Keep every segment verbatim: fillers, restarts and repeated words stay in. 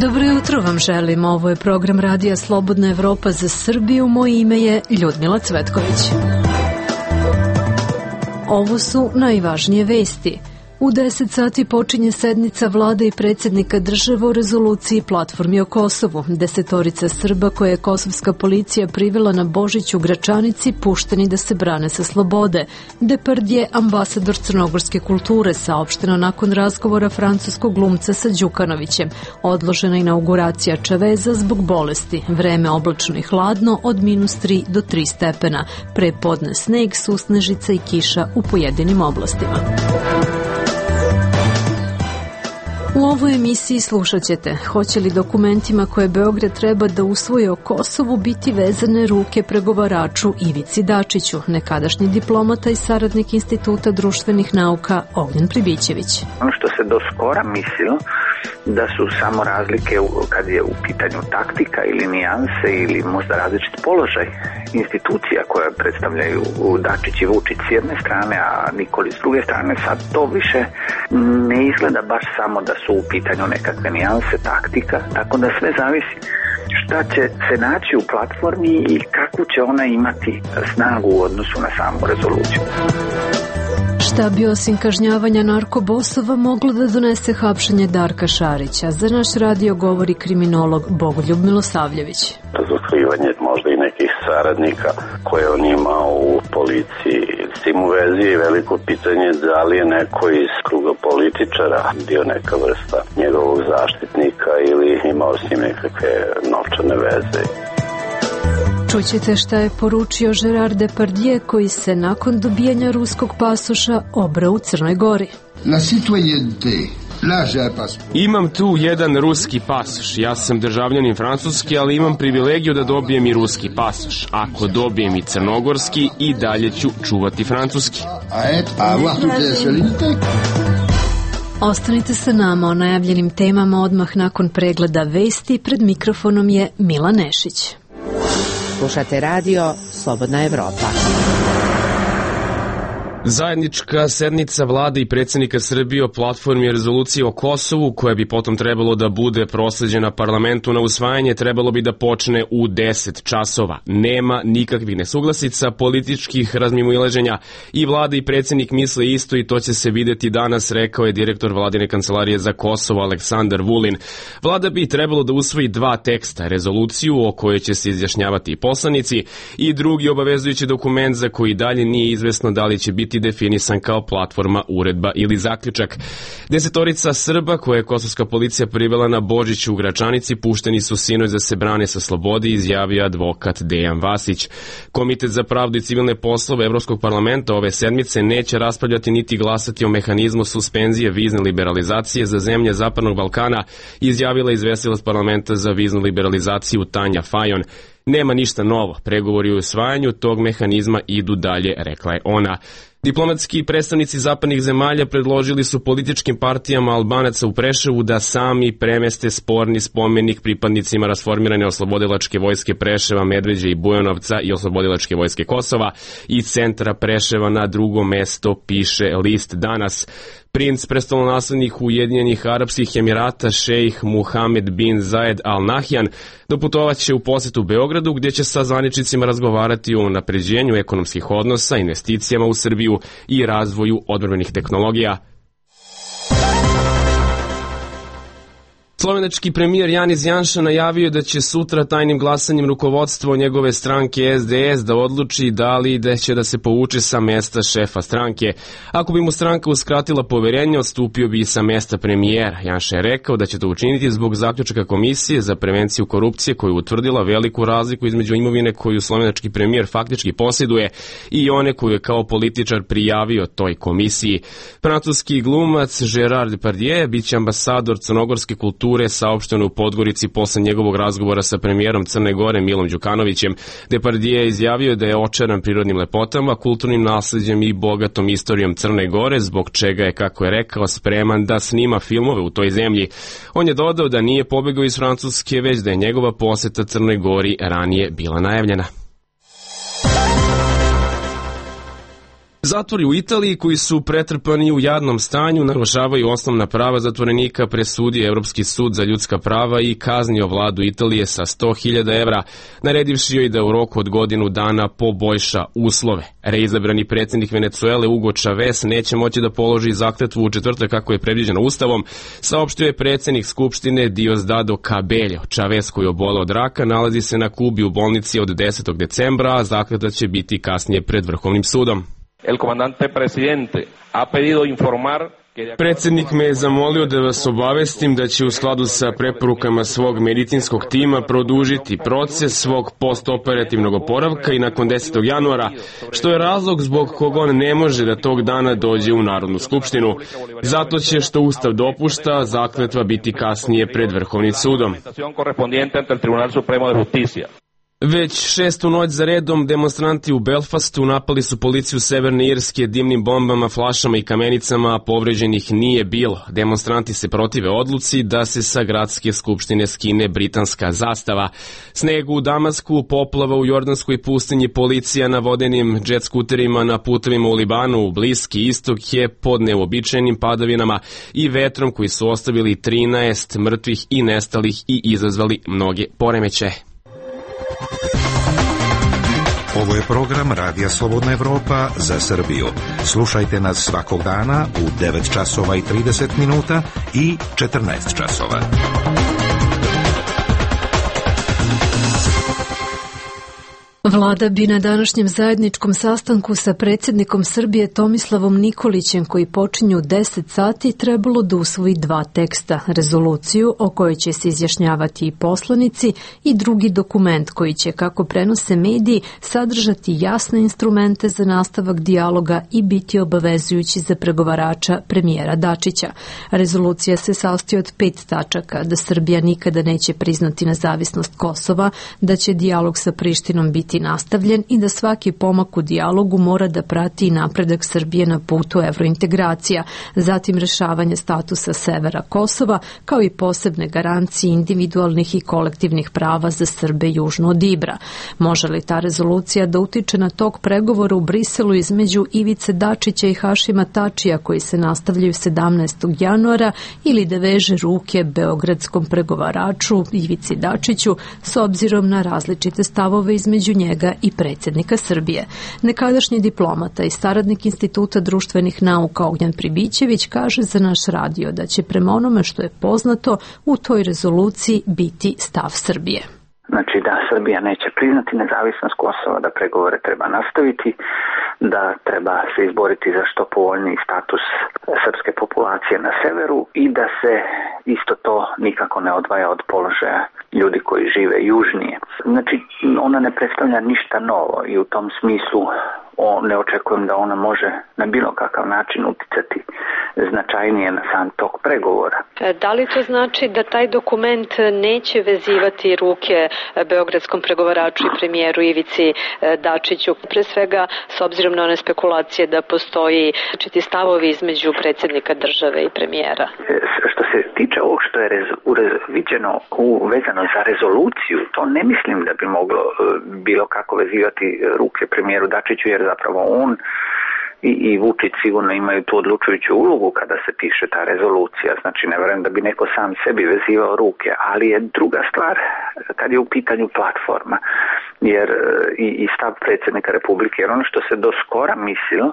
Dobro jutro vam želim. Ovo je program Radija Slobodna Evropa za Srbiju. Moje ime je Ljudmila Cvetković. Ovo su najvažnije vesti. U deset sati počinje sednica vlade i predsjednika države o rezoluciji platformi o Kosovu. Desetorica Srba koje je kosovska policija privela na Božić u Gračanici pušteni da se brane sa slobode. Depardje, ambasador crnogorske kulture, saopšteno nakon razgovora francuskog glumca sa Đukanovićem. Odložena inauguracija Čaveza zbog bolesti. Vreme oblačno i hladno od minus tri do tri stepena. Pre podne sneg, susnežica i kiša u pojedinim oblastima. U ovoj emisiji slušat ćete hoće li dokumentima koje Beograd treba da usvoji o Kosovu biti vezane ruke pregovaraču Ivici Dačiću, nekadašnji diplomata i saradnik Instituta društvenih nauka Ognjen Pribićević. Ono što se do skora mislilo da su samo razlike kad je u pitanju taktika ili nijanse ili možda različit položaj institucija koje predstavljaju Dačić i Vučić s jedne strane, a Nikolić s druge strane, sad to više ne izgleda baš samo da su u pitanju nekakve nijanse, taktika, tako da sve zavisi šta će se naći u platformi i kakvu će ona imati snagu u odnosu na samu rezoluciju. Šta bi osim kažnjavanja narkobosova moglo da donese hapšenje Darka Šarića? Za naš radio govori kriminolog Bogoljub Milosavljević. Razotkrivanje možda i nekih saradnika koje on ima u policiji. S tim u vezi je veliko pitanje da li je neko iz kruga političara bio neka vrsta njegovog zaštitnika ili imao s njim nekakve novčane veze. Čućete šta je poručio Gerard Depardje koji se nakon dobijanja ruskog pasoša obrao u Crnoj Gori. La citoyenneté. Imam tu jedan ruski pasoš. Ja sam državljanin Francuski, ali imam privilegiju da dobijem i ruski pasoš. Ako dobijem i crnogorski, i dalje ću čuvati francuski. Ostanite sa nama o najavljenim temama odmah nakon pregleda vesti. Pred mikrofonom je Mila Nešić. Slušate radio Slobodna Evropa. Zajednička sednica vlade i predsjednika Srbije o platformi rezolucije o Kosovu, koja bi potom trebalo da bude prosleđena parlamentu na usvajanje, trebalo bi da počne u deset časova. Nema nikakvih nesuglasica, političkih razmimoilaženja i vlada i predsjednik misle isto i to će se videti danas, rekao je direktor vladine kancelarije za Kosovo Aleksandar Vulin. Vlada bi trebalo da usvoji dva teksta, rezoluciju o kojoj će se izjašnjavati i poslanici i drugi obavezujući dokument za koji dalje nije izvesno da li će biti definisan kao platforma, uredba ili zaključak. Desetorica Srba koje je kosovska policija privela na Božić u Gračanici pušteni su sinoć da se brane sa slobode, izjavio advokat Dejan Vasić. Komitet za pravdu i civilne poslove Evropskog parlamenta ove sedmice neće raspravljati niti glasati o mehanizmu suspenzije vizne liberalizacije za zemlje Zapadnog Balkana, izjavila izvestilac parlamenta za viznu liberalizaciju Tanja Fajon. Nema ništa novo, pregovori o usvajanju tog mehanizma idu dalje, rekla je ona. Diplomatski predstavnici zapadnih zemalja predložili su političkim partijama Albanaca u Preševu da sami premeste sporni spomenik pripadnicima rasformirane oslobodilačke vojske Preševa, Medveđe i Bujanovca i oslobodilačke vojske Kosova i centra Preševa na drugo mesto, piše list Danas. Princ prestolonaslednik Ujedinjenih Arapskih Emirata šejh Muhamed bin Zayed Al Nahyan doputovaće u posetu Beogradu gdje će sa zvaničnicima razgovarati o unapređenju ekonomskih odnosa, investicijama u Srbiju i razvoju odbrambenih tehnologija. Slovenački premijer Janis Janša najavio da će sutra tajnim glasanjem rukovodstvo njegove stranke S D S da odluči da li da će da se povuče sa mesta šefa stranke. Ako bi mu stranka uskratila poverenje, odstupio bi sa mesta premijera. Janša je rekao da će to učiniti zbog zaključaka Komisije za prevenciju korupcije koja je utvrdila veliku razliku između imovine koju slovenački premijer faktički posjeduje i one koju je kao političar prijavio toj komisiji. Francuski glumac Gerard Depardieu biće ambasador crnogorske kulture, saopšteno u Podgorici posle njegovog razgovora sa premijerom Crne Gore Milom Đukanovićem. Depardieu je izjavio da je očaran prirodnim lepotama, kulturnim nasleđem i bogatom istorijom Crne Gore, zbog čega je, kako je rekao, spreman da snima filmove u toj zemlji. On je dodao da nije pobegao iz Francuske, već da je njegova poseta Crnoj Gori ranije bila najavljena. Zatvori u Italiji koji su pretrpani u jadnom stanju narušavaju osnovna prava zatvorenika, presudio Evropski sud za ljudska prava i kaznio vladu Italije sa sto hiljada evra, naredivši joj da u roku od godinu dana poboljša uslove. Reizabrani predsjednik Venecuele Hugo Chavez neće moći da položi zakletvu u četvrtak kako je predviđeno ustavom, saopštio je predsjednik Skupštine Diosdado Cabello. Chavez, koji je oboleo od raka, nalazi se na Kubi u bolnici od desetog decembra, a zakletva će biti kasnije pred Vrhovnim sudom. El comandante presidente ha pedido informar. Predsjednik me je zamolio da vas obavestim da će u skladu sa preporukama svog medicinskog tima produžiti proces svog postoperativnog oporavka i nakon desetog januara, što je razlog zbog kog on ne može da tog dana dođe u Narodnu skupštinu. Zato će, što Ustav dopušta, zakletva biti kasnije pred Vrhovnim sudom. Već šestu noć za redom demonstranti u Belfastu napali su policiju Severne Irske dimnim bombama, flašama i kamenicama, a povređenih nije bilo. Demonstranti se protive odluci da se sa gradske skupštine skine britanska zastava. Sneg u Damasku, poplava u Jordanskoj pustinji, policija na vodenim džet skuterima na putovima u Libanu, Bliski istok je pod neuobičajenim padavinama i vetrom koji su ostavili trinaest mrtvih i nestalih i izazvali mnoge poremećaje. Ovo je program Radija Slobodna Evropa za Srbiju. Slušajte nas svakog dana u devet časova i trideset minuta i četrnaest časova. Vlada bi na današnjem zajedničkom sastanku sa predsjednikom Srbije Tomislavom Nikolićem, koji počinju u deset sati, trebalo da usvoji dva teksta, rezoluciju o kojoj će se izjašnjavati i poslanici i drugi dokument koji će, kako prenose mediji, sadržati jasne instrumente za nastavak dijaloga i biti obavezujući za pregovarača premijera Dačića. Rezolucija se sastoji od pet tačaka: da Srbija nikada neće priznati nezavisnost Kosova, da će dijalog sa Prištinom biti nastavljen i da svaki pomak u dijalogu mora da prati i napredak Srbije na putu evrointegracija, zatim rešavanje statusa severa Kosova, kao i posebne garancije individualnih i kolektivnih prava za Srbe južno od Ibra. Može li ta rezolucija da utiče na tok pregovora u Briselu između Ivice Dačića i Hašima Tačija, koji se nastavljaju sedamnaestog januara, ili da veže ruke beogradskom pregovaraču Ivici Dačiću s obzirom na različite stavove između njega i predsjednika Srbije? Nekadašnji diplomata i saradnik Instituta društvenih nauka Ognjan Pribićević kaže za naš radio da će prema onome što je poznato u toj rezoluciji biti stav Srbije. Znači da Srbija neće priznati nezavisnost Kosova, da pregovore treba nastaviti, da treba se izboriti za što povoljniji status srpske populacije na severu i da se isto to nikako ne odvaja od položaja ljudi koji žive južnije. Znači ona ne predstavlja ništa novo i u tom smislu o, ne očekujem da ona može na bilo kakav način uticati značajnije na sam tok pregovora. Da li to znači da taj dokument neće vezivati ruke beogradskom pregovaraču i premijeru Ivici Dačiću, pre svega s obzirom na one spekulacije da postoji različiti stavovi između predsjednika države i premijera? Što se tiče ovog što je rez, urez, viđeno vezano za rezoluciju, to ne mislim da bi moglo bilo kako vezivati ruke premijeru Dačiću, jer zapravo on i, i Vučić sigurno imaju tu odlučujuću ulogu kada se piše ta rezolucija. Znači ne vjerujem da bi neko sam sebi vezivao ruke, ali je druga stvar kad je u pitanju platforma jer i, i stav predsjednika Republike, jer ono što se do skora mislilo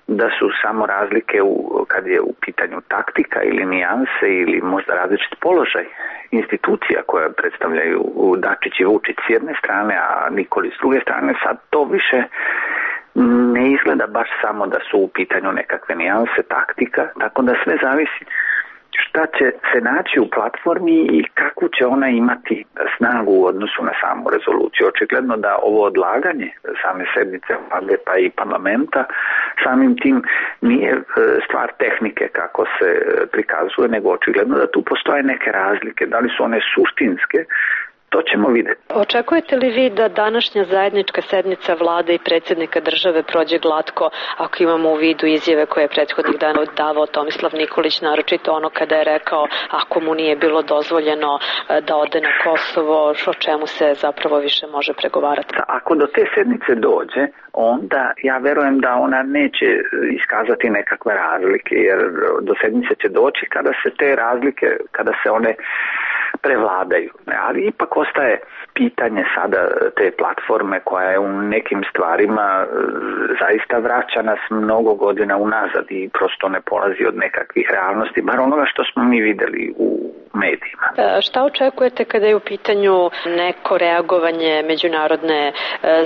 da su samo razlike u, kad je u pitanju taktika ili nijanse ili možda različit položaj institucija koje predstavljaju Dačić i Vučić s jedne strane, a Nikolić s druge strane, sad to više ne izgleda baš samo da su u pitanju nekakve nijanse, taktika, tako da sve zavisi šta će se naći u platformi i kakvu će ona imati snagu u odnosu na samu rezoluciju. Očigledno da ovo odlaganje same sednice vlade pa i parlamenta samim tim nije stvar tehnike kako se prikazuje, nego očigledno da tu postoje neke razlike. Da li su one suštinske To ćemo vidjeti. Očekujete li vi da današnja zajednička sednica vlade i predsjednika države prođe glatko, ako imamo u vidu izjave koje je prethodnih dana davao Tomislav Nikolić, naročito ono kada je rekao ako mu nije bilo dozvoljeno da ode na Kosovo, o čemu se zapravo više može pregovarati? Ako do te sednice dođe, onda ja verujem da ona neće iskazati nekakve razlike, jer do sednice će doći kada se te razlike, kada se one prevladaju. Ali ipak ostaje pitanje sada te platforme koja je u nekim stvarima zaista vraća nas mnogo godina unazad i prosto ne polazi od nekakvih realnosti, bar onoga što smo mi vidjeli u medijima. Šta očekujete kada je u pitanju neko reagovanje međunarodne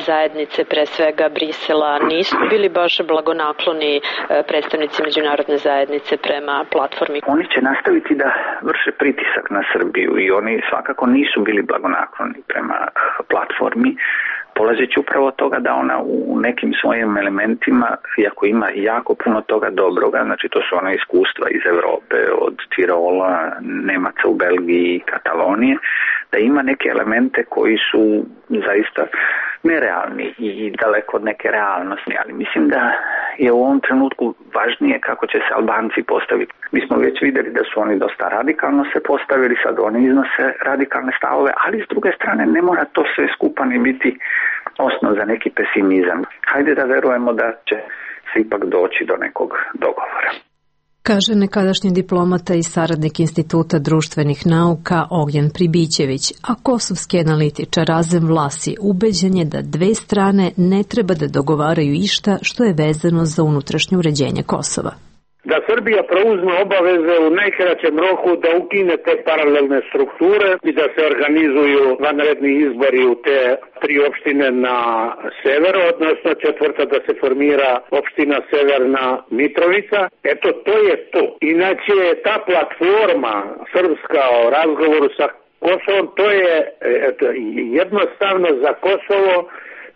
zajednice, pre svega Brisela? Nisu bili baš blagonakloni predstavnici međunarodne zajednice prema platformi? Oni će nastaviti da vrše pritisak na Srbiju i oni svakako nisu bili blagonakloni prema platformi, polazeći upravo od toga da ona u nekim svojim elementima, iako ima jako puno toga dobroga, znači to su ona iskustva iz Europe, od Tirola, Nemaca u Belgiji i Katalonije, da ima neke elemente koji su zaista nerealni i daleko od neke realnosti, ali mislim da je u ovom trenutku važnije kako će se Albanci postaviti. Mi smo već vidjeli da su oni dosta radikalno se postavili, sad oni iznose radikalne stavove, ali s druge strane ne mora to sve skupa ni biti osnov za neki pesimizam. Hajde da verujemo da će se ipak doći do nekog dogovora. Kaže nekadašnji diplomata i saradnik Instituta društvenih nauka Ognjen Pribićević, a kosovski analitičar Razem Vlasi ubeđen je da dve strane ne treba da dogovaraju išta što je vezano za unutrašnje uređenje Kosova. Da Srbija preuzme obaveze u najkraćem roku da ukine te paralelne strukture i da se organizuju vanredni izbori u te tri opštine na severu, odnosno četvrta da se formira opština Severna Mitrovica. Eto, to je to. Inače, ta platforma srpska o razgovoru sa Kosovom, to je eto, jednostavno za Kosovo.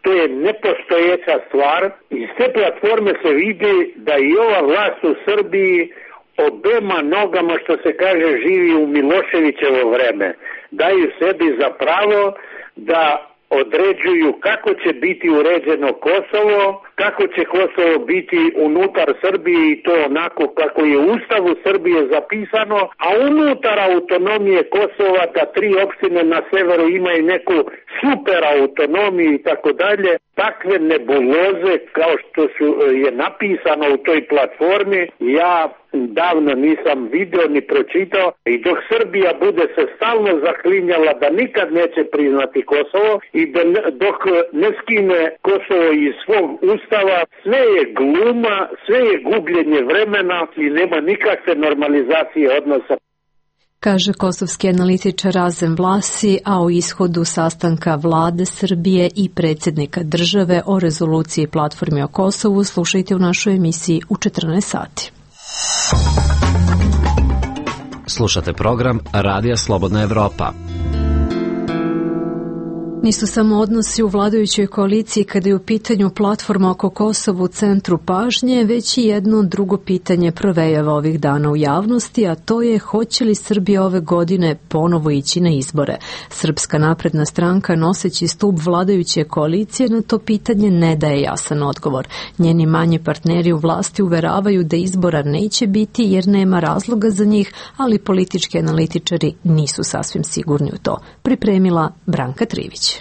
To je nepostojeća stvar. Iz te platforme se vidi da i ova vlast u Srbiji obema nogama, što se kaže, živi u Miloševićevo vreme. Daju sebi za pravo da određuju kako će biti uređeno Kosovo, kako će Kosovo biti unutar Srbije i to onako kako je u Ustavu Srbije zapisano, a unutar autonomije Kosova da tri opštine na severu imaju neku super autonomiju i tako dalje. Takve nebuloze kao što su, je napisano u toj platformi, ja davno nisam video ni pročitao i dok Srbija bude se stalno zaklinjala da nikad neće priznati Kosovo i da ne, dok ne skine Kosovo iz svog ustava, sve je gluma, sve je gubljenje vremena i nema nikakve normalizacije odnosa. Kaže kosovski analitičar Razem Vlasi, a o ishodu sastanka vlade Srbije i predsjednika države o rezoluciji platformi o Kosovu slušajte u našoj emisiji u četrnaest sati. Slušate program Radija Slobodna Evropa. Nisu samo odnosi u vladajućoj koaliciji kada je u pitanju platforma oko Kosova u centru pažnje, već i jedno drugo pitanje provejava ovih dana u javnosti, a to je hoće li Srbija ove godine ponovo ići na izbore. Srpska napredna stranka, noseći stup vladajuće koalicije, na to pitanje ne daje jasan odgovor. Njeni manji partneri u vlasti uveravaju da izbora neće biti jer nema razloga za njih, ali politički analitičari nisu sasvim sigurni u to. Pripremila Branka Trivić.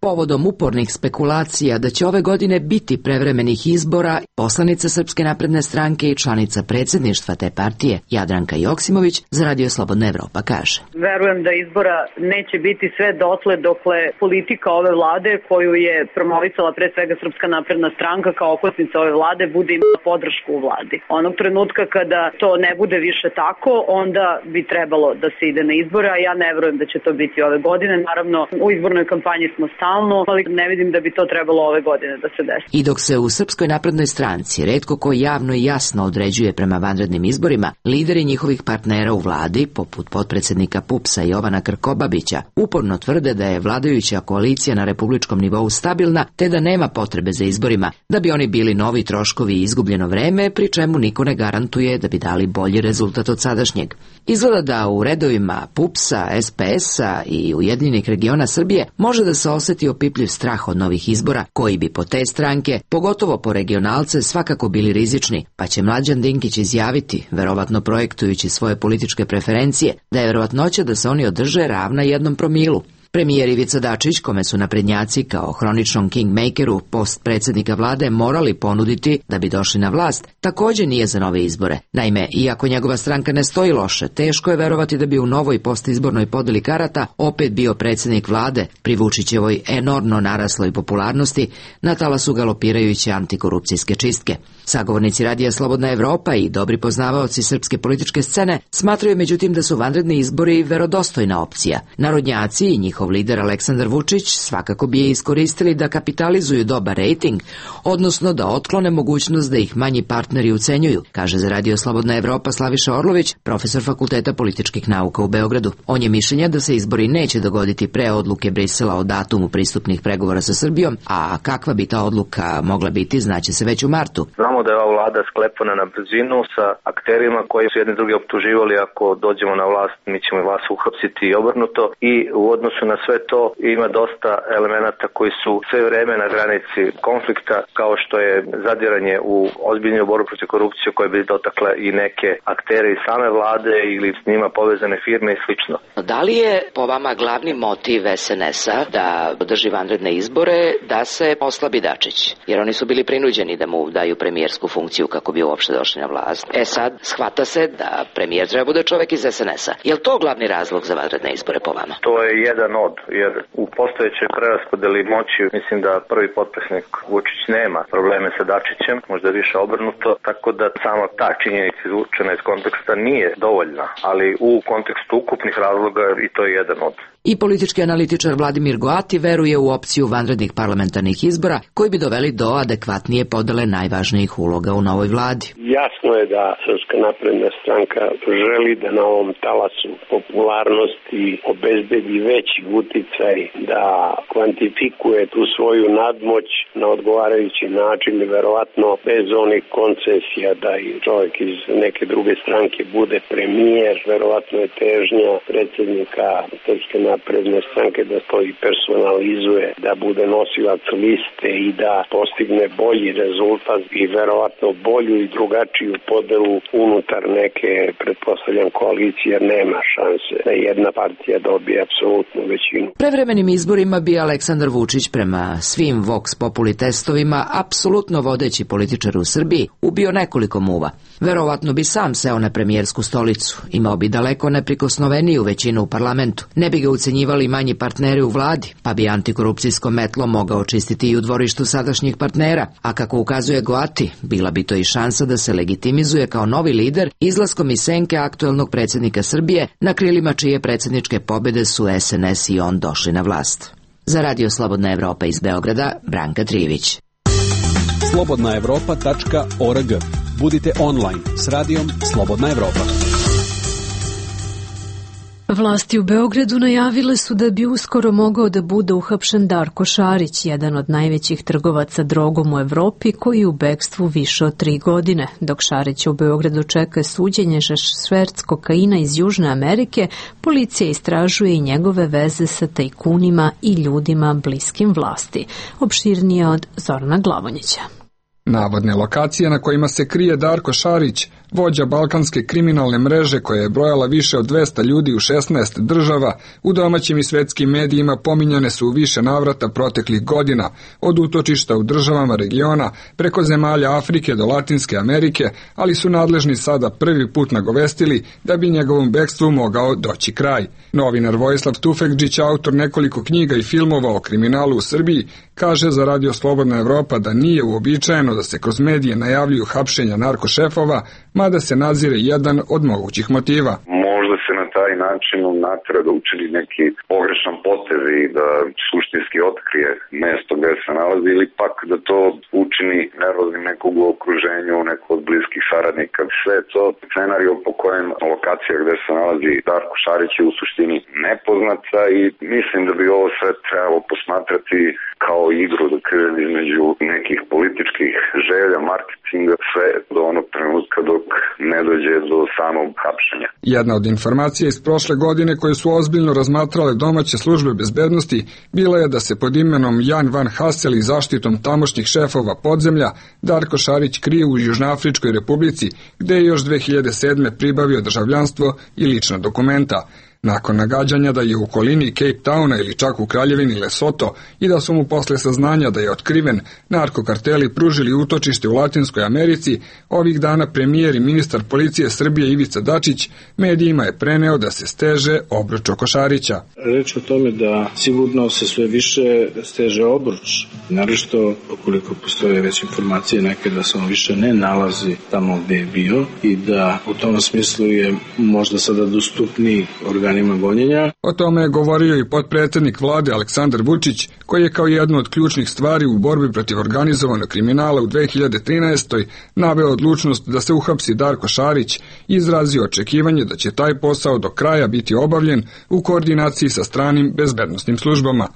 Povodom upornih spekulacija da će ove godine biti prevremenih izbora, poslanica Srpske napredne stranke i članica predsjedništva te partije Jadranka Joksimović za Radio Slobodna Evropa kaže: Verujem da izbora neće biti sve dotle dokle politika ove vlade koju je promovisala pre svega Srpska napredna stranka kao okosnica ove vlade bude imala podršku u vladi. Onog trenutka kada to ne bude više tako, onda bi trebalo da se ide na izbore, a ja ne verujem da će to biti ove godine. Naravno, u izbornoj kampanji smo stalno. stalno, ali ne vidim da bi to trebalo ove godine da se desi. I dok se u Srpskoj naprednoj stranci retko ko javno i jasno određuje prema vanrednim izborima, lideri njihovih partnera u vladi, poput potpredsednika PUPS-a Jovana Krkobabića, uporno tvrde da je vladajuća koalicija na republičkom nivou stabilna, te da nema potrebe za izborima, da bi oni bili novi troškovi i izgubljeno vreme, pri čemu niko ne garantuje da bi dali bolji rezultat od sadašnjeg. Izgleda da u redovima PUPS-a, S P S-a i Ujedinjenih regiona Srbije može da se oseti opipljiv strah od novih izbora, koji bi po te stranke, pogotovo po regionalce, svakako bili rizični, pa će Mlađan Dinkić izjaviti, verovatno projektujući svoje političke preferencije, da je verovatnoća da se oni održe ravna jednom promilu. Premijer Ivica Dačić, kome su naprednjaci kao hroničnom kingmakeru post predsjednika vlade morali ponuditi da bi došli na vlast, također nije za nove izbore. Naime, iako njegova stranka ne stoji loše, teško je verovati da bi u novoj postizbornoj podeli karata opet bio predsjednik vlade pri Vučićevoj enormno narasloj popularnosti na talasu galopirajuće antikorupcijske čistke. Sagovornici Radija Slobodna Evropa i dobri poznavaoci srpske političke scene smatraju međutim da su vanredni izbori verodostojna opcija. Narodnjaci i njihov lider Aleksandar Vučić svakako bi je iskoristili da kapitalizuju dobar rejting, odnosno da otklone mogućnost da ih manji partneri ucenjuju, kaže za Radio Slobodna Evropa Slaviša Orlović, profesor Fakulteta političkih nauka u Beogradu. On je mišljenja da se izbori neće dogoditi pre odluke Brisela o datumu pristupnih pregovora sa Srbijom, a kakva bi ta odluka mogla biti znaće se već u martu. Znamo da je ova vlada sklepana na brzinu sa akterima koji su jedni drugi optuživali ako dođemo na vlast mi ćemo vas uhapsiti i obrnuto, i u odnosu na sve to ima dosta elemenata koji su sve vreme na granici konflikta, kao što je zadiranje u ozbiljnu borbu protiv korupcije koje bi dotakle i neke aktere iz same vlade ili s njima povezane firme i slično. Da li je po vama glavni motiv S N S-a da održi vanredne izbore da se oslabi Dačić? Jer oni su bili prinuđeni da mu daju premijersku funkciju kako bi uopšte došli na vlast. E sad, shvata se da premijer treba bude čovek iz S N S-a. Je li to glavni razlog za vanredne izbore po vama? To je jedan od, jer u postojećoj preraspodeli moći mislim da prvi potpredsjednik Vučić nema probleme sa Dačićem, možda više obrnuto, tako da sama ta činjenica izvučena iz konteksta nije dovoljna, ali u kontekstu ukupnih razloga i to je jedan od. I politički analitičar Vladimir Goati veruje u opciju vanrednih parlamentarnih izbora koji bi doveli do adekvatnije podele najvažnijih uloga u novoj vladi. Jasno je da Srpska napredna stranka želi da na ovom talasu popularnosti obezbedi veći uticaj, da kvantifikuje tu svoju nadmoć na odgovarajući način i verovatno bez onih koncesija da i čovjek iz neke druge stranke bude premijer. Verovatno je težnja predsjednika Srpske napredne stranke da to i personalizuje, da bude nosilac liste i da postigne bolji rezultat i verovatno bolju i drugačiju podelu unutar neke, pretpostavljam, koalicije, jer nema šanse da jedna partija dobije apsolutnu većinu. Prevremenim izborima bi Aleksandar Vučić prema svim Vox Populi testovima, apsolutno vodeći političar u Srbiji, ubio nekoliko muva. Verovatno bi sam seo na premijersku stolicu, imao bi daleko neprikosnoveniju većinu u parlamentu, ne bi ga ucenjivali manji partneri u vladi, pa bi antikorupcijsko metlo mogao čistiti i u dvorištu sadašnjih partnera, a kako ukazuje Goati, bila bi to i šansa da se legitimizuje kao novi lider izlaskom iz senke aktuelnog predsjednika Srbije, na krilima čije predsjedničke pobjede su S N S i on došli na vlast. Za Radio Slobodna Evropa iz Beograda, Branka Trijević. slobodna evropa tačka org. Budite online s radijom Slobodna Evropa. Vlasti u Beogradu najavile su da bi uskoro mogao da bude uhapšen Darko Šarić, jedan od najvećih trgovaca drogom u Evropi, koji je u bekstvu više od tri godine. Dok Šarića u Beogradu čeka suđenje za šverc kokaina iz Južne Amerike, policija istražuje i njegove veze sa tajkunima i ljudima bliskim vlasti. Opširnije od Zorana Glavonjića. Navodne lokacije na kojima se krije Darko Šarić, vođa balkanske kriminalne mreže koja je brojala više od dvesta ljudi u šesnaest država, u domaćim i svetskim medijima pominjane su u više navrata proteklih godina, od utočišta u državama regiona, preko zemalja Afrike do Latinske Amerike, ali su nadležni sada prvi put nagovestili da bi njegovom bekstvu mogao doći kraj. Novinar Vojislav Tufekđić, autor nekoliko knjiga i filmova o kriminalu u Srbiji, kaže za Radio Slobodna Evropa da nije uobičajeno da se kroz medije najavljuju hapšenja narkošefova, mada se nazire jedan od mogućih motiva. Možda se na taj način natera da učini neki pogrešan potez i da suštinski otkrije mesto gde se nalazi ili pak da to učini nervoznim nekog u okruženju, nekog od bliskih saradnika. Sve to scenario po kojem lokacija gde se nalazi Darko Šarić je u suštini nepoznata i mislim da bi ovo sve trebalo posmatrati kao igru da kažem između nekih političkih želja, marketinga, sve do onog trenutka dok ne dođe do samog hapšenja. Jedna od informacija iz prošle godine koje su ozbiljno razmatrale domaće službe bezbednosti bila je da se pod imenom Jan Van Hassel i zaštitom tamošnjih šefova podzemlja Darko Šarić krije u Južnoafričkoj republici, gde je još dve hiljade sedme pribavio državljanstvo i lična dokumenta. Nakon nagađanja da je u okolini Cape Towna ili čak u kraljevini Lesoto i da su mu posle saznanja da je otkriven narkokarteli pružili utočište u Latinskoj Americi, ovih dana premijer i ministar policije Srbije Ivica Dačić medijima je preneo da se steže obruč oko Šarića. Reč o tome da sigurno se sve više steže obruč, naročito ukoliko postoje već informacije neke da se on više ne nalazi tamo gde je bio i da u tom smislu je možda sada dostupniji organ. O tome je govorio i potpredsednik vlade Aleksandar Vučić, koji je kao jednu od ključnih stvari u borbi protiv organizovanog kriminala u dve hiljade trinaestoj naveo odlučnost da se uhapsi Darko Šarić i izrazio očekivanje da će taj posao do kraja biti obavljen u koordinaciji sa stranim bezbednosnim službama.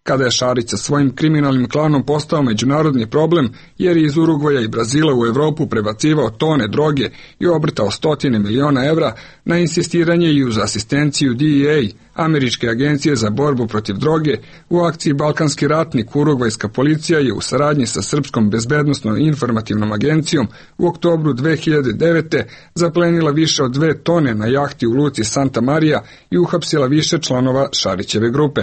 Kada je Šarić sa svojim kriminalnim klanom postao međunarodni problem, jer je iz Urugvaja i Brazila u Evropu prebacivao tone droge i obrtao stotine miliona evra, na insistiranje i uz asistenciju D E A, Američke agencije za borbu protiv droge, u akciji Balkanski ratnik urugvajska policija je u saradnji sa Srpskom bezbednosnom informativnom agencijom u oktobru dve hiljade devete zaplenila više od dve tone na jahti u luci Santa Maria i uhapsila više članova Šarićeve grupe.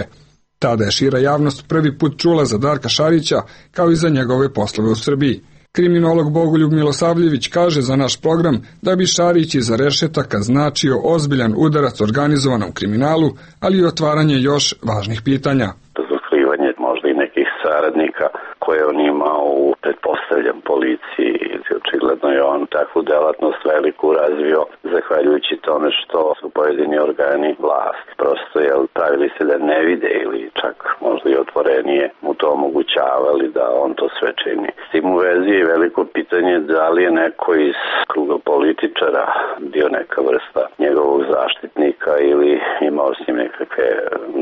Tada je šira javnost prvi put čula za Darka Šarića, kao i za njegove poslove u Srbiji. Kriminolog Bogoljub Milosavljević kaže za naš program da bi Šarić iza rešetaka značio ozbiljan udarac organizovanom kriminalu, ali i otvaranje još važnih pitanja. Razotkrivanje možda i nekih saradnika koje on imao u, pretpostavljam, policiji. Očigledno je on takvu delatnost veliku razvio zahvaljujući tome što su pojedini organi vlast prosto jel, pravili se da ne vide ili čak možda i otvorenije mu to omogućavali da on to sve čini. S tim u vezi je veliko pitanje da li je neko iz kruga političara bio neka vrsta njegovog zaštitnika ili imao s njim nekakve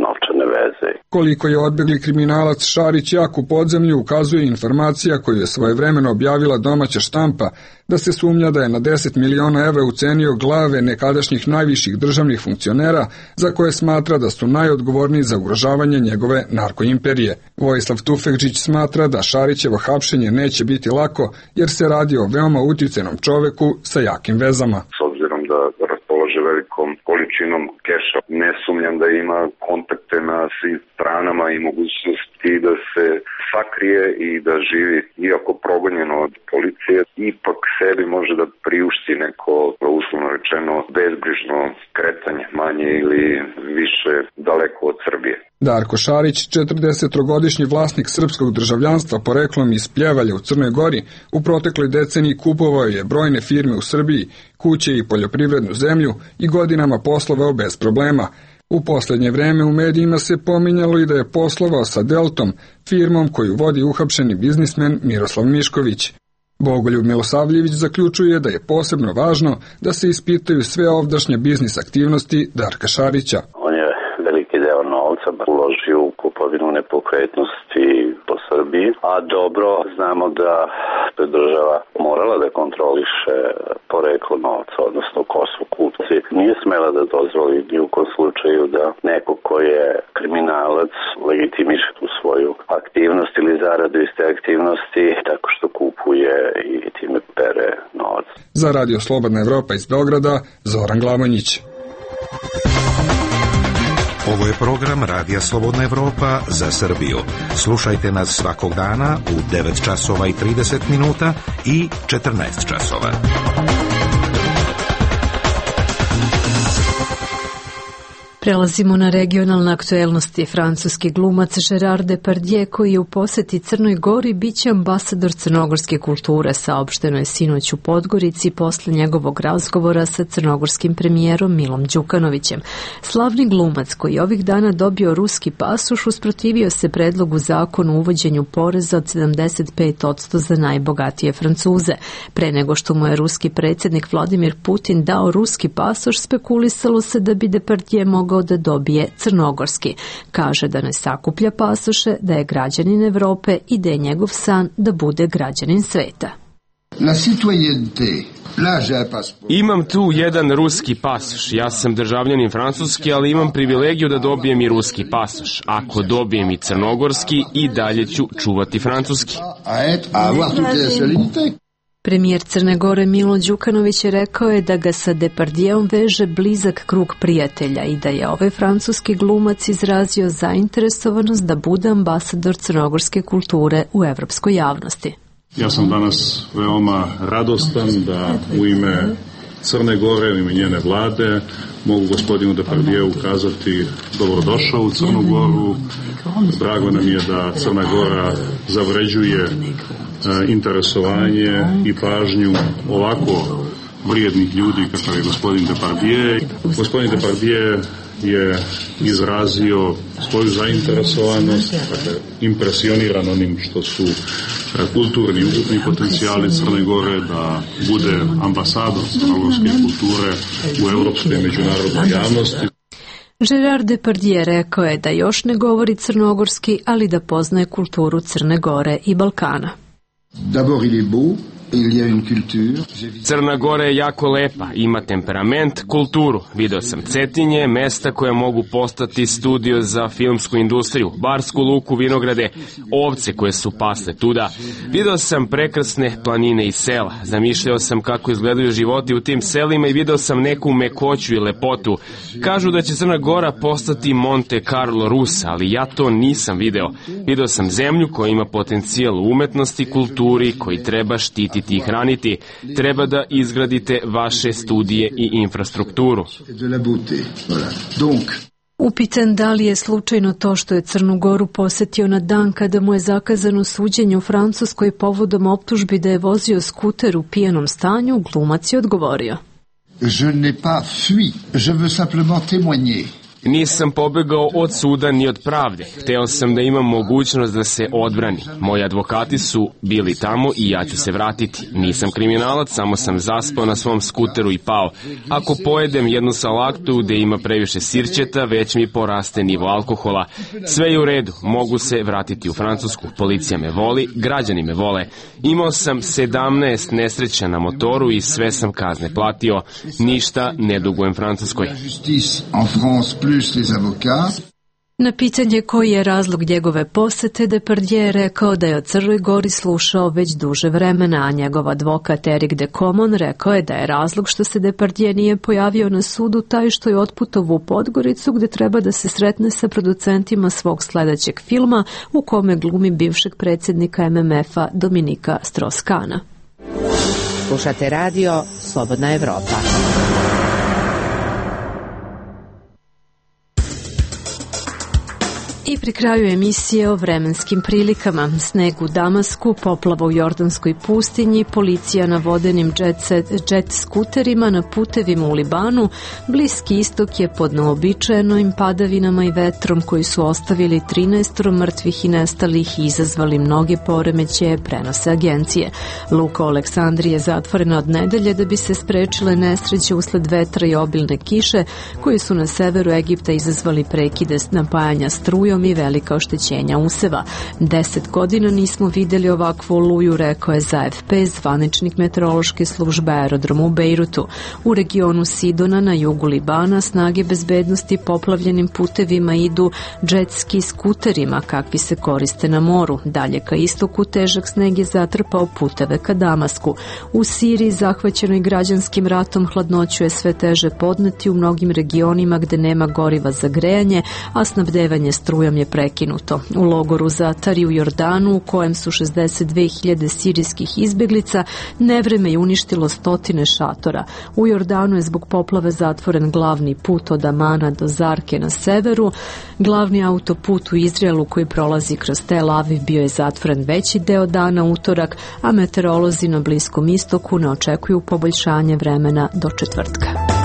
novčane veze. Koliko je odbegli kriminalac Šarić jak u podzemlju ukazuje informacija koju je svojevremeno objavila domaća štampa, da se sumnja da je na deset miliona evra ucenio glave nekadašnjih najviših državnih funkcionera za koje smatra da su najodgovorniji za ugrožavanje njegove narkoimperije. Vojislav Tufekđić smatra da Šarićevo hapšenje neće biti lako jer se radi o veoma uticenom čoveku sa jakim vezama. S obzirom da raspolaže velikom količinom keša, ne sumnjam da ima kontakte na svim stranama i mogućnosti da se sakrije i da živi, iako progonjeno od policije, ipak sebi može da priušti neko, uslovno rečeno, bezbrižno kretanje, manje ili više daleko od Srbije. Darko Šarić, četrdesetogodišnji vlasnik srpskog državljanstva poreklom iz Pljevalja u Crnoj Gori, u protekloj deceniji kupovao je brojne firme u Srbiji, kuće i poljoprivrednu zemlju i godinama poslovao bez problema. U poslednje vreme u medijima se pominjalo i da je poslovao sa Deltom, firmom koju vodi uhapšeni biznismen Miroslav Mišković. Bogoljub Milosavljević zaključuje da je posebno važno da se ispitaju sve ovdašnje biznis aktivnosti Darka Šarića. On je veliki deo novca uložio u kupovinu nepokretnosti po Srbiji, a dobro znamo da je država morala da kontroliše poreklo novca, odnosno ko su kupci. Nije smela da dozvoli ni u kom slučaju da neko ko je kriminalac legitimiše tu svoju aktivnost ili zaradu iz te aktivnosti tako što kupuje i time pere novac. Za Radio Slobodna Evropa iz Beograda, Zoran Glamonjić. Ovo je program Radija Slobodna Evropa za Srbiju. Slušajte nas svakog dana u devet časova i trideset minuta i četrnaest časova. Prelazimo na regionalne aktuelnosti. Francuski glumac Gérard Depardieu, koji je u poseti Crnoj Gori, biće ambasador crnogorske kulture, saopšteno je sinoć u Podgorici posle njegovog razgovora sa crnogorskim premijerom Milom Đukanovićem. Slavni glumac, koji je ovih dana dobio ruski pasoš, usprotivio se predlogu zakona o uvođenju poreza od sedamdeset pet posto za najbogatije Francuze. Pre nego što mu je ruski predsjednik Vladimir Putin dao ruski pasoš, spekulisalo se da bi Depardieu mogao da dobije crnogorski. Kaže da ne sakuplja pasoše, da je građanin Evrope i da je njegov san da bude građanin sveta. La citoyenneté. Imam tu jedan ruski pasoš. Ja sam državljanin francuski, ali imam privilegiju da dobijem i ruski pasoš. Ako dobijem i crnogorski, i dalje ću čuvati francuski. Premijer Crne Gore Milo Đukanović je rekao je da ga sa Depardieuom veže blizak krug prijatelja i da je ovaj francuski glumac izrazio zainteresovanost da bude ambasador crnogorske kulture u evropskoj javnosti. Ja sam danas veoma radostan da u ime Crne Gore, u ime njene vlade, mogu gospodinu Depardieu ukazati dobrodošao u Crnu Goru. Drago nam je da Crna Gora zavređuje interesovanje i pažnju ovako vrijednih ljudi kakav je gospodin Depardieu. Gospodin Depardieu je izrazio svoju zainteresovanost, dakle, impresioniran onim što su kulturni i ukupni potencijali Crne Gore da bude ambasador crnogorske kulture u evropskoj i međunarodnoj javnosti. Gérard Depardieu rekao je da još ne govori crnogorski, ali da poznaje kulturu Crne Gore i Balkana. D'abord il est beau. Crna Gora je jako lepa, ima temperament, kulturu. Video sam Cetinje, mesta koja mogu postati studio za filmsku industriju, Barsku Luku, vinograde, ovce koje su pasle tuda. Video sam prekrasne planine i sela. Zamišljao sam kako izgledaju životi u tim selima i video sam neku mekoću i lepotu. Kažu da će Crna Gora postati Monte Carlo Rusa, ali ja to nisam video. Video sam zemlju koja ima potencijal u umetnosti, kulturi, koji treba štititi i hraniti. Treba da izgradite vaše studije i infrastrukturu. Upitan da li je slučajno to što je Crnu Goru posetio na dan kada mu je zakazano suđenje u Francuskoj povodom optužbi da je vozio skuter u pijanom stanju, glumac je odgovorio. Je n'ai pas fui, je veux simplement témoigner. Nisam pobegao od suda ni od pravde. Hteo sam da imam mogućnost da se odbranim. Moji advokati su bili tamo i ja ću se vratiti. Nisam kriminalac, samo sam zaspao na svom skuteru i pao. Ako pojedem jednu salatu gde ima previše sirćeta, već mi poraste nivo alkohola. Sve je u redu, mogu se vratiti u Francusku. Policija me voli, građani me vole. Imao sam sedamnaest nesreća na motoru i sve sam kazne platio. Ništa ne dugujem Francuskoj. Na pitanje koji je razlog njegove posete, Depardieu je rekao da je o Crnoj Gori slušao već duže vremena, a njegov advokat Eric de Comon rekao je da je razlog što se Depardieu nije pojavio na sudu taj što je otputovao u Podgoricu gde treba da se sretne sa producentima svog sledećeg filma u kome glumi bivšeg predsjednika M M F-a Dominika Strauss-Kahna. Slušate radio Slobodna Evropa. I pri kraju emisije o vremenskim prilikama. Sneg u Damasku, poplava u Jordanskoj pustinji, policija na vodenim jet, jet skuterima na putevima u Libanu, Bliski istok je pod neobičajenim padavinama i vetrom koji su ostavili trinaest mrtvih i nestalih i izazvali mnoge poremećaje, prenose agencije. Luka u Aleksandriji je zatvorena od nedelje da bi se sprečile nesreće usled vetra i obilne kiše koji su na severu Egipta izazvali prekide napajanja strujom i velika oštećenja useva. Deset godina nismo videli ovakvu oluju, rekao je za F P zvaničnik meteorološke službe aerodroma u Bejrutu. U regionu Sidona na jugu Libana snage bezbednosti poplavljenim putevima idu džetski skuterima kakvi se koriste na moru. Dalje ka istoku težak sneg je zatrpao puteve ka Damasku. U Siriji, zahvaćenoj građanskim ratom, hladnoću je sve teže podneti u mnogim regionima gde nema goriva za grejanje, a snabdevanje strujom kojom je prekinuto. U logoru Zatari u Jordanu, u kojem su šezdeset dve hiljade sirijskih izbeglica, nevreme je uništilo stotine šatora. U Jordanu je zbog poplave zatvoren glavni put od Amana do Zarke na severu. Glavni autoput u Izraelu koji prolazi kroz Tel Aviv bio je zatvoren veći deo dana utorak, a meteorolozi na Bliskom istoku ne očekuju poboljšanje vremena do četvrtka.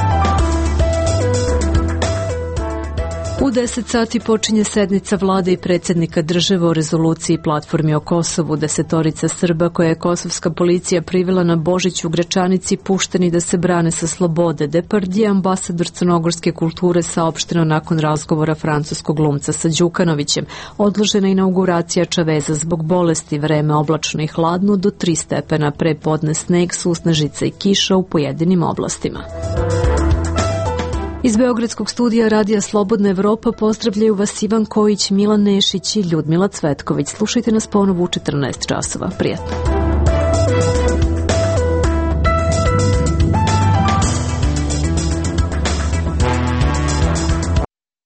U deset sati počinje sednica vlade i predsjednika države o rezoluciji platformi o Kosovu. Desetorica Srba koje je kosovska policija privela na Božić u Gračanici pušteni da se brane sa slobode. Depardije, ambasador crnogorske kulture, saopšteno nakon razgovora francuskog glumca sa Đukanovićem. Odložena inauguracija Čaveza zbog bolesti, vreme oblačno i hladno, do tri stepena, pre podne sneg, susnežica i kiša u pojedinim oblastima. Iz Beogradskog studija Radija Slobodna Evropa pozdravljaju vas Ivan Kojić, Milan Nešić i Ljudmila Cvetković. Slušajte nas ponovo u četrnaest časova. Prijatno.